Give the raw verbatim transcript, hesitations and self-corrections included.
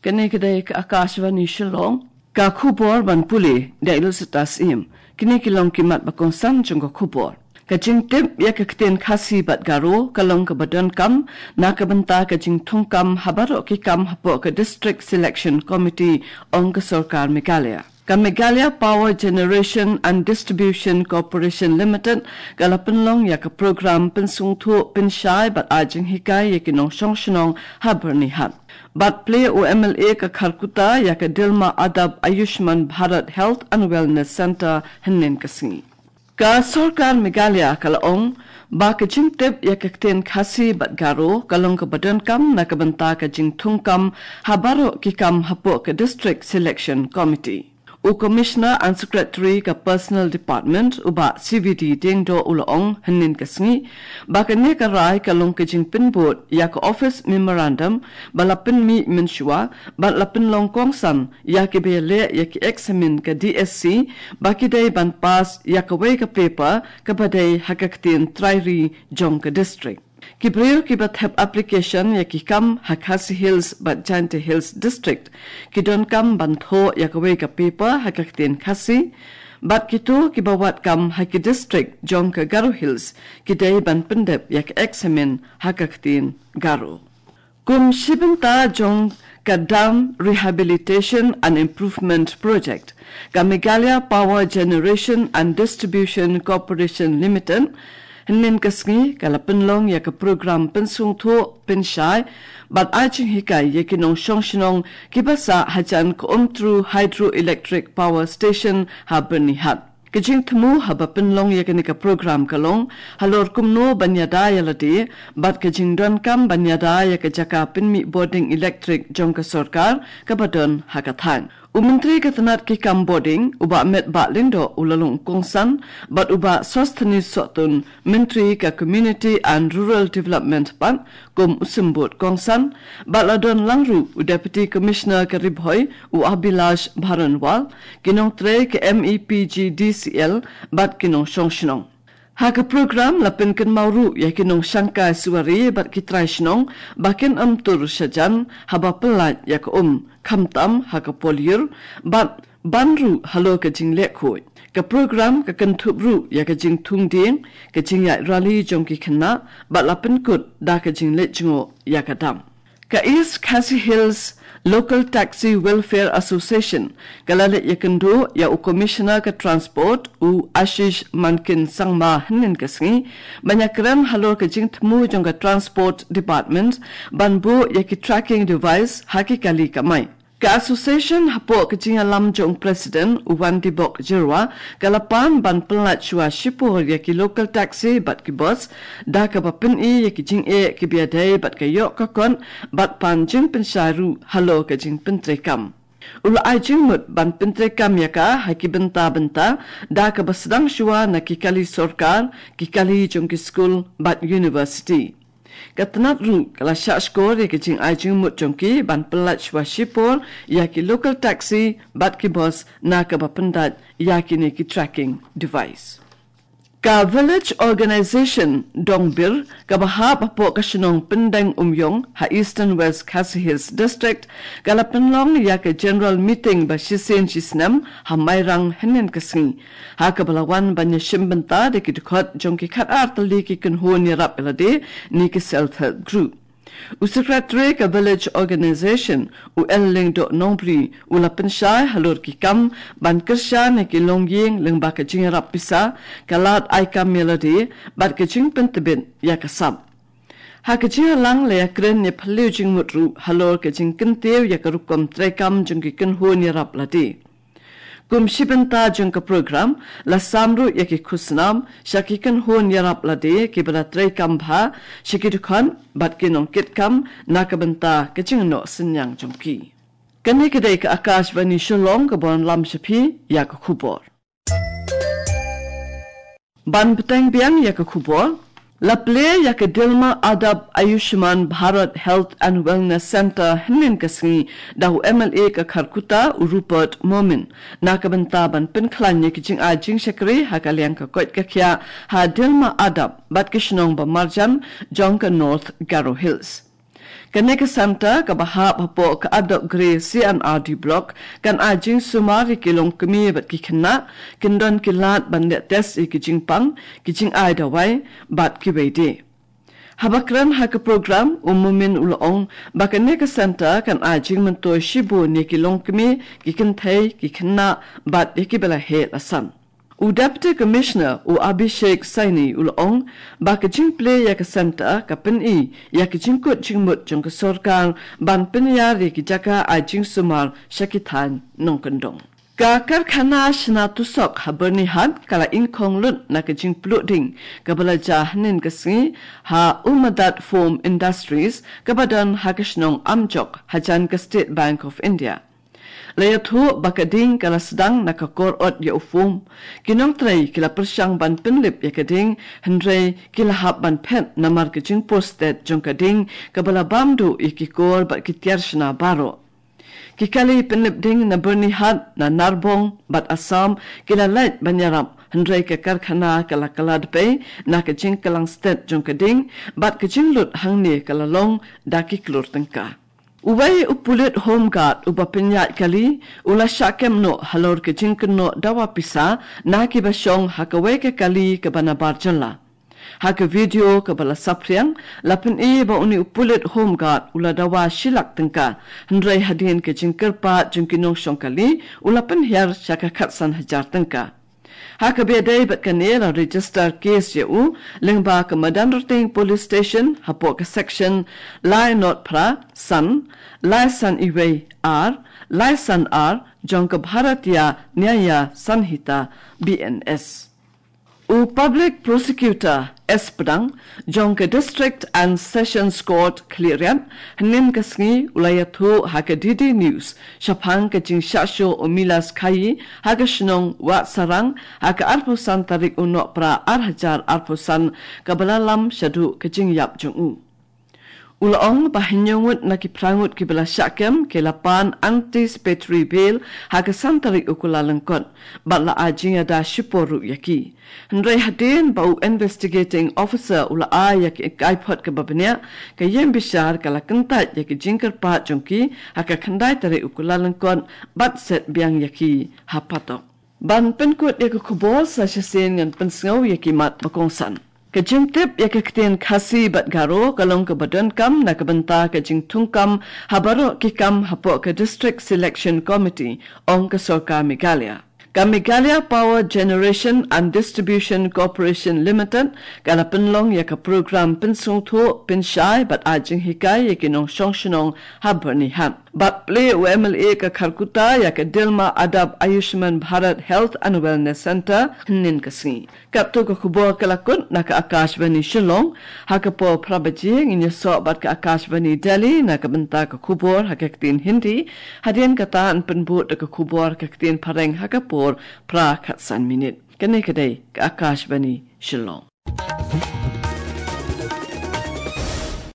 Kane ka dei ka Akashvani Shillong. Ka khubor ban pule da Elizabeth Im. Kine ki long ki mat ba kongsan jong ka khubor. Ka jingtip ïa ka ktien Khasi bad Garo ka long kaba donkam na ka bynta ka jingthungkam ha baroh ki kam hapoh ka District Selection Committee, ong ka sorkar Meghalaya. Ka Meghalaya Power Generation and Distribution Corporation Limited ka la pynlong ïa ka program pynsngewthuh, pynshai bad ai jinghikai ïa ki nongshong shnong ha Byrnihat. Bad plie u M L A ka Kharkutta ïa ka Dilma Adab Ayushman Bharat Health and Wellness Centre hynnin ka sngi. Ka sorkar Meghalaya ka la ong ba ka jingtip ïa ka ktien Khasi bad Garo ka long kaba donkam na ka bynta ka jingthungkam ha baroh ki kam hapoh ka District Selection Committee. U Commissioner and Secretary ka Personnel Department, u Bah C V D Diengdoh, u la ong hynnin ka sngi ba kane ka rai ka long ka jingpynbud ïa ka Office Memorandum ba la pynmih mynshuwa bad la pynlong kongsan ïa kiba ïaleh ïa ki eksamin ka D S C ba ki dei ban pass ïa kawei ka paper kaba dei ha ka ktien trai ri jong ka district. Ki briew kiba thep application ïa ki kam ha Khasi Hills bad Jaintia Hills District ki donkam ban thoh ïa kawei ka paper ha ka ktien Khasi, bad kito kiba wad kam ha ki district jong ka Garo Hills ki dei ban pyndep ïa ka eksamin ha ka ktien Garo. Kum shi bynta jong ka Dam Rehabilitation and Improvement Project, ka Meghalaya Power Generation and Distribution Corporation Limited hynnin ka sngi ka la pynlong ïa ka program pynsngewthuh, pynshai bad ai jinghikai ïa ki nongshong shnong kiba sah hajan ka Umtru Hydroelectric Power Station ha Byrnihat. Ka jingthmu haba pynlong ïa kane ka program ka long halor kumno ban ïada ïa lade bad ka jingdonkam ban ïada ïa ka jaka pynmih bording elektrik jong ka sorkar kaba don ha ka thaiñ. U Myntri ka tnat ki kam bording, u Bah Metbah Lyngdoh, u la long kongsan bad u Bah Sosthenes Sohtun, Myntri ka Community and Rural Development pat kum u symbud kongsan, bad la don lang ruh u Deputy Commissioner ka Ri Bhoi, u Abhilash Baranwal, ki nongtrei ka M E P G D C L bad ki nongshong shnong. Ha ka program la pynkynmaw ruh ïa ki nongshangkai suwari bad ki trai shnong ba kin ym tur shajan haba pyllait ïa ka um, khamtam ha ka polyur bad ban ruh halor ka jingleh khuid. Ka program ka kynthup ruh ïa ka jingthung dieng, ka jingïaid rally jong ki khynnah bad la pynkut da ka jingleit jngoh ïa ka dam. Ka East Khasi Hills Local Taxi Welfare Association ka la leit ïakynduh ïa u Commissioner ka Transport, u Ashish Mankin Sangma, hynnin ka sngi ban ïakren halor ka jingthmu jong ka Transport Department ban buh ïa ki tracking device ha ki kali kamai. Ka association hapoh ka jingïalam jong u President, u Wandibok Jyrwa, ka la pan ban pyllait shuwa shipor ïa ki local taxi bad ki bus da kaba pyni ïa ki jingeh kiba ïadei bad ka ïoh ka kot bad pan jingpynshai ruh halor ka jingpyntreikam. U la ai jingmut ban pyntreikam ïa ka ha ki bynta bynta da kaba sdang shuwa na ki kali sorkar, ki kali jong ki skul bad university. Ka tnat ruh ka la shah shkor ïa ka jingai jingmut jong ki ban pyllait shuwa shipor ïa ki local taxi bad ki bus na kaba pyndait ïa kine ki tracking device. Ka Village Organisation Dongbir kaba hap hapoh ka shnong Pyndeng Umïong ha Eastern West Khasi Hills District ka la pynlong ïa ka general meeting ba shisien shisnem ha Mairang hynnin ka sngi, ha kaba la wan ban ïashim bynta da ki dkhot jong ki khatar tylli ki kynhun ïarap ïalade ne ki self help group. U Secretary ka Village Organisation, u L Lyngdoh Nongbri, u la pynshai halor ki kam ban kyrshan ïa ki longïing lyngba ka jingïarap pisa, ka lad ai kam ïalade bad ka jingpyntbit ïa ka sap. Ha ka jingïalang la ïakren ïa phylliew jingmut ruh halor ka jingkyntiew ïa ka rukom treikam jong ki kynhun ïarap lade. Kum shi bynta jong ka program la sam ruh ïa ki khusnam sha ki kynhun ïarap lade kiba la treikam bha sha ki dkhot bad ki nongkitkam na ka bynta ka jingnoh synñiang jong ki. Kane ka dei ka Akashvani Shillong kaba wanlam sha phi ïa ka khubor. Ban bteng biang ïa ka khubor, la plie ïa ka Dilma Adab Ayushman Bharat Health and Wellness Centre hynnin ka sngi da u M L A ka Kharkutta, u Rupert Momin, na ka bynta ban pynkhlaiñ ïa ki jingai jingshakri ha ka liang ka koit ka khiah ha Dilma Adab bad ki shnong ba marjan jong ka North Garo Hills. Kane ka centre kaba hap hapoh ka Adok Grey C and R D Block kan ai jingsumar ïa ki longkmie bad ki khynnah, kin don ki lad ban leh test ïa ki jingpang, ki jingai dawai bad kiwei de. Haba kren ha ka program, u Momin u la ong ba kane ka centre kan ai jingmyntoi shibun ïa ki longkmie, ki kynthei, ki khynnah bad ïa kiba la heh la san. U Deputy Commissioner u Abhishek Saini u la ong ba ka jingplie ïa ka centre ka pyni ïa ka jingkut jingmut jong ka sorkar ban pynïar ïa ki jaka ai jingsumar sha ki thaiñ nongkyndong. Ka karkhana shna tusok ha Byrnihat ka la ingkhong lut na ka jingpluh ding kaba la jia hynnin ka sngi ha Umadat Foam Industries kaba don ha ka shnong Amjok hajan ka State Bank of India. La ïathuh ba ka ding ka la sdang na ka kor ot ïa u foam. Ki nongtrei ki la pyrshang ban pynlip ïa ka ding, hynrei ki la hap ban phet namar ka jingpur stet jong ka ding kaba la bam duh ïa ki kor bad ki tiar shna baroh. Ki kali pynlip ding na Byrnihat, na Narbong bad Assam ki la leit ban ïarap, hynrei ka karkhana ka la kylla dpei na ka jingkyllang stet jong ka ding bad ka jinglut hangne ka la long da ki klur tyngka. Uwei u pulit Home Guard uba pynïaid kali u la shah kem noh halor ka jingkynnoh dawa pisa na kiba shong ha kawei ka kali kaba nabar jylla. Ha ka video kaba la saphriang, la pyni ba une u pulit Home Guard u la dawa shi lak tyngka, hynrei hadien ka jingkyrpad jong ki nongshong kali u la pynhiar sha ka khatsan hajar tyngka. Ha kaba ïadei bad kane, la register case ïa u lyngba ka Madanrting Police Station hapoh ka section lai not phra san, lai san iwei ar, lai san ar jong ka Bharatiya Nyaya Sanhita, B N S. U Public Prosecutor S Pdang jong ka District and Sessions Court Khliehriat hynnin ka sngi u la ïathuh ha ka D D News shaphang ka jingshah shuh u Milas Khayi ha ka shnong Wahsarang ha ka arphew san tarik u Nohprah ar hajar arphew san, kaba la lam shaduh ka jingïap jong u. U la ong ba hynñiew ngut na ki phra ngut kiba la shah kem ki la pan anticipatory bail ha ka san tarik u Kyllalyngkot bad la ai jingïada shipor ruh ïa ki. Hynrei hadien ba u investigating officer u la ai ïa ka kaiphod kaba bniah, ka ïingbishar ka la kyntait ïa ka jingkyrpad jong ki ha ka khyndai tarik u Kyllalyngkot bad set biang ïa ki ha Patok. Ban pynkut ïa ka khubor, sa shisien ngan pynsngew ïa ki mat ba kongsan. Ka jingtip ïa ka ktien Khasi bad Garo ka long kaba donkam na ka bynta ka jingthungkam ha baroh ki kam hapoh ka District Selection Committee, ong ka Sorkar Meghalaya. Ka Meghalaya Power Generation and Distribution Corporation Limited ka la pynlong ïa ka program pynsngewthuh, pynshai bad ai jinghikai ïa ki nongshong shnong ha Byrnihat. Bad plie u M L A ka Kharkutta ïa ka Dilma Adab Ayushman Bharat Health and Wellness Centre hynnin ka sngi. Katto ka khubor ka la kut na ka Akashvani Shillong. Ha ka por phra baje ngin ïasoh bad ka Akashvani Delhi na ka bynta ka khubor ha ka ktien Hindi. Hadien kata yn pynbud da ka khubor ha ka ktien Phareng ha ka por phra khatsan minit. Kane ka dei ka Akashvani Shillong.